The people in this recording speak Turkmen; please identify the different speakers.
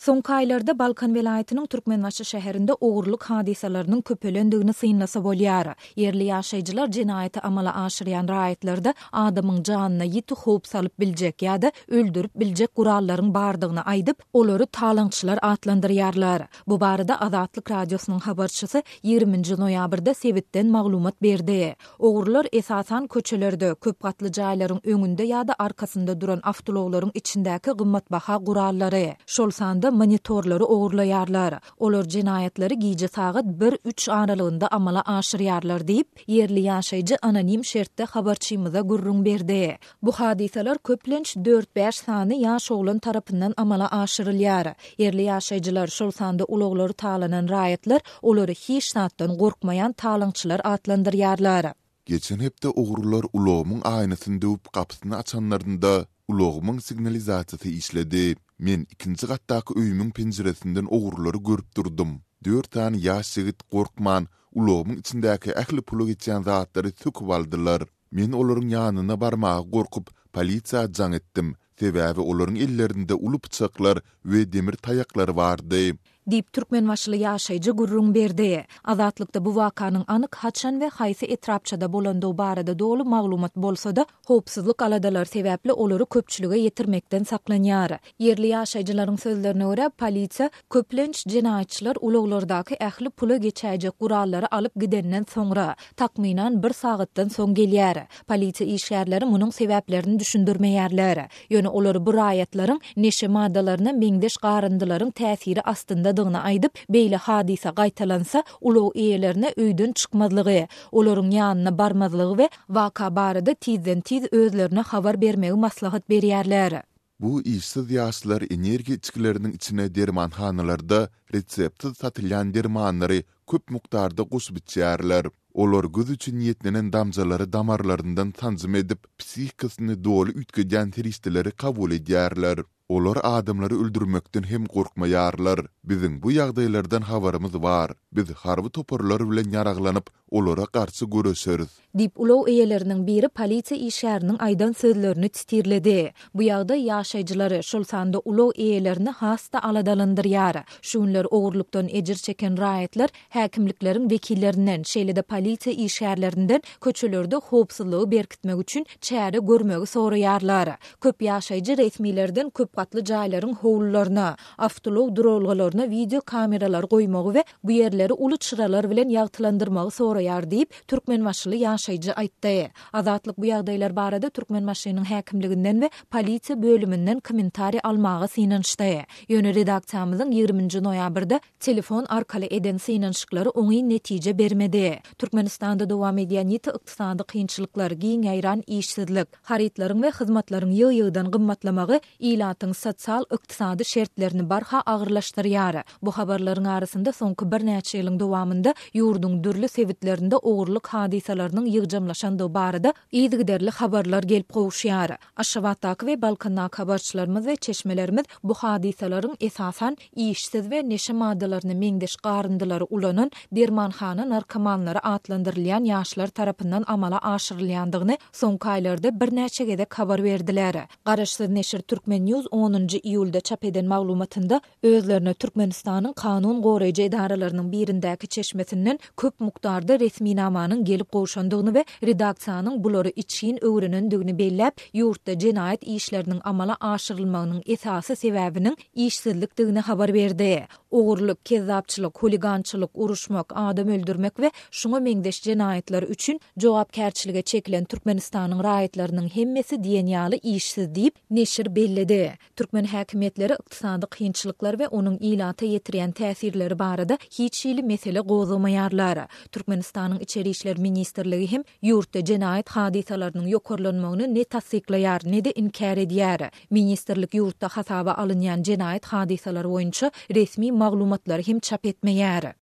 Speaker 1: Soňky aýlarda Balkan welaýatynyň Türkmenbaşy şäherinde ogurlyk hadysalarynyň köpelendigini synlasa bolýar. Ýerli ýaşaýjylar jenaýaty amala aşyrýan raýatlarda adamyň janyna ýiti howp salyp biljek ýa-da öldürip biljek gurallaryň bardygyny aýdyp, olary talaňçylar atlandyrýarlar. Bu barada Azatlyk Radiosynyň habarçysy ýigriminji noýabrda sebitden maglumat berdi. Ogrular esasan köçelerde, köp gatly jaýlaryň öňünde ýa-da arkasynda duran awtoulaglaryň içindäki gymmatbaha gurallary, şol sanda monitorlary ogurlaýarlar. Olar jenaýatlary gije sagat bir, üç aralygynda amala aşyrýarlar diýip, ýerli ýaşaýjy anonim şertde habarçymyza gürrüň berdi. Bu hadysalar köplenç dört-bäş sany ýaş oglan tarapyndan amala aşyrylýar. Ýerli ýaşaýjylar, şol sanda ulaglary talanan raýatlar olary hiç zatdan gorkmaýan talaňçylar atlandyrýarlar.
Speaker 2: Geçen hepde ogrular ulagymyň aýnasyny döwüp gapysyny açanlarynda, ulagymyň signalizasiýasy işledi. Men ikinji gatdaky öýümiň penjiresinden ogrulary görüp durdum. Dört sany ýaş ýigit gorkman, ulagymyň içindäki ähli pula geçýän zatlary söküp aldylar. Men olaryň ýanyna barmaga gorkup, polisiýa jaň etdim, sebäbi olaryň ellerinde uly pyçaklar we demir taýaklar bardy.
Speaker 1: Diýip, türkmenbaşyly ýaşaýjy gürrüň berdi. Azatlykda bu wakanyň anyk haçan we haýsy etrapçada bolandygy barada doly maglumat bolsa-da, howpsuzlyk aladalary sebäpli olary köpçülige ýetirmekden saklanýar. Ýerli ýaşaýjylaryň sözlerine görä, polisiýa, köplenç, jenaýatçylar ulaglardaky ähli pula geçäýjek gurallary alyp gidenden soňra, takmynan bir sagatdan soň gelýär. Polisiýa işgärleri munuň sebäplerini düşündirmeýärler. Ýöne olar bu raýatlaryň neşe maddalaryna meňzeş garyndylaryň täsiri astyndadygyny aýdyp, beýle hadysa gaýtalansa, ulag eýelerine öýden çykmazlygy, olaryň ýanyna barmazlygy we waka barada tizden-tiz özlerine habar bermegi maslahat berýärler.
Speaker 2: Bu işsiz ýaşlar energiýa içgileriniň içine dermanhanalarda reseptsiz satylýan dermanlary köp mukdarda goşup içýärler. Olar göz üçin niýetlenen damjalary damarlaryndan sanjym edip, psihikasyny doly üýtgedýän serişdeleri kabul edýärler. Olar adamlary öldürmekden hem gorkmaýarlar. Biziň bu ýagdaýlardan habarymyz bar. Biz harby toparlar bilen ýaraglanyp, olara garşy göreşeris.
Speaker 1: Diýip, ulag eýeleriniň biri polisiýa işgäriniň aýdan sözlerini titirledi. Bu ýagdaý ýaşaýjylary, şol sanda ulag eýelerini has-da aladalandyrýar. Şu günler ogurlykdan ejir çeken raýatlar häkimlikleriň wekillerinden, şeýle-de polisiýa işgärlerinden köçelerde howpsuzlygy berkitmek üçin çäre görmegi soraýarlar. Köp ýaşaýjy resmilerden köp gatly jaýlaryň howlularyna, awtoulag duralgalaryna wideo kameralary goýmagy we bu ýerleri uly çyralar bilen ýagtylandyrmagy soraýar diýip, türkmenbaşyly ýaşaýjy aýtdy. Azatlyk bu ýagdaýlar barada Türkmenbaşynyň häkimliginden we polisiýa bölüminden kommentariý almaga synanyşdy. Ýöne redaksiýamyzyň ýigriminji noýabrda telefon arkaly eden synanyşyklary oňyn netije bermedi. Türkmenistanda dowam edýän ýiti ykdysady kynçylyklar, giň ýaýran işsizlik, harytlaryň we hyzmatlaryň ýygy-ýygydan gymmatlamagy ilatyň sosial-ykdysady şertlerini barha agyrlaşdyrýar. Bu habarlaryň arasynda soňky birnäçe ýylyň dowamynda ýurduň dürli sebitlerinde ogurlyk hadysalarynyň ýygjamlaşandygy barada yzygiderli habarlar gelip gowuşýar. Aşgabatdaky we Balkandaky habarçylarymyz we çeşmelerimiz bu hadysalaryň esasan işsiz we neşe maddalaryna meňzeş garyndylary ulanan dermanhana narkomanlary atlandyrylýan ýaşlar tarapyndan amala aşyrylýandygyny soňky aýlarda birnäçe gezek habar berdiler. Garaşsyz neşir Turkmen News onunjy iýulda çap eden maglumatynda özlerine Türkmenistanyň kanun goraýjy edaralarynyň birindäki çeşmesinden köp mukdarda resminamanyň gelip gowşandygyny we redaksiýanyň bulary içgin öwrenendigini belläp, ýurtda jenaýat işleriniň amala aşyrylmagynyň esasy sebäbiniň işsizlikdigini habar berdi. Ogurlyk, kezzapçylyk, huligançylyk, uruşmak, adam öldürmek we şuňa meňzeş jenaýatlar üçin jogapkärçilige çekilen Türkmenistanyň raýatlarynyň hemmesi diýen ýaly işsiz diýip, neşir belledi. Türkmen häkimiýetleri ykdysady kynçylyklar we onuň ilata ýetirýän täsirleri barada hiç hili mesele gozgamaýarlar. Türkmenistanyň Içeri işler ministrligi hem ýurtda jenaýat hadysalarynyň ýokarlanmagyny ne tassyklaýar, ne-de inkär edýär. Ministrlik ýurtda hasaba alynýan jenaýat hadysalary boýunça resmi maglumatlary hem çap etmeýär.